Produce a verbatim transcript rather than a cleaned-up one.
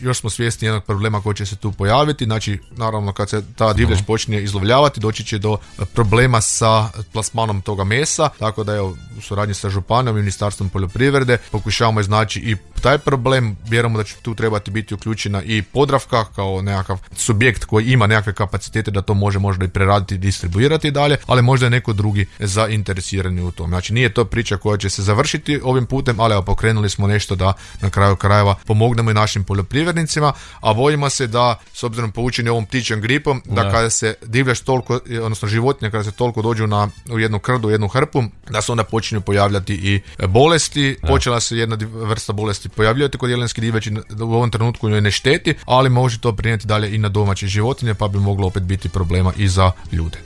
još smo svjesni jednog problema koji će se tu pojaviti. Znači, naravno, kad se ta divljač uh-huh. počinje izlovljavati, doći će do problema sa plasmanom toga mesa, tako da evo, u suradnji sa županijom i Ministarstvom poljoprivrede pokušavamo iznaći i taj problem. Vjerujemo da će tu trebati biti uključena i Podravka kao nekakav subjekt koji ima nekakve kapacitete da to može možda i preraditi i distribuirati dalje, ali možda je neko drugi zainteresirani u tom. Znači, nije to priča koja će se završiti ovim putem, ali evo, pokrenuli smo nešto da na kraju krajeva pomognemo i našim poljoprivrednicima, a bojimo se da, s obzirom poučeni ovom ptičjom gripom, da da. kada se divljač toliko, odnosno životinje, kada se toliko dođu na, u jednu krdu, u jednu hrpu, da se onda počinju pojavljati i bolesti. Da. Počela se jedna vrsta bolesti pojavljati kod jelenske divljači, u ovom trenutku njoj ne šteti, ali može to prinijeti dalje i na domaće životinje, pa bi moglo opet biti problema i za ljude.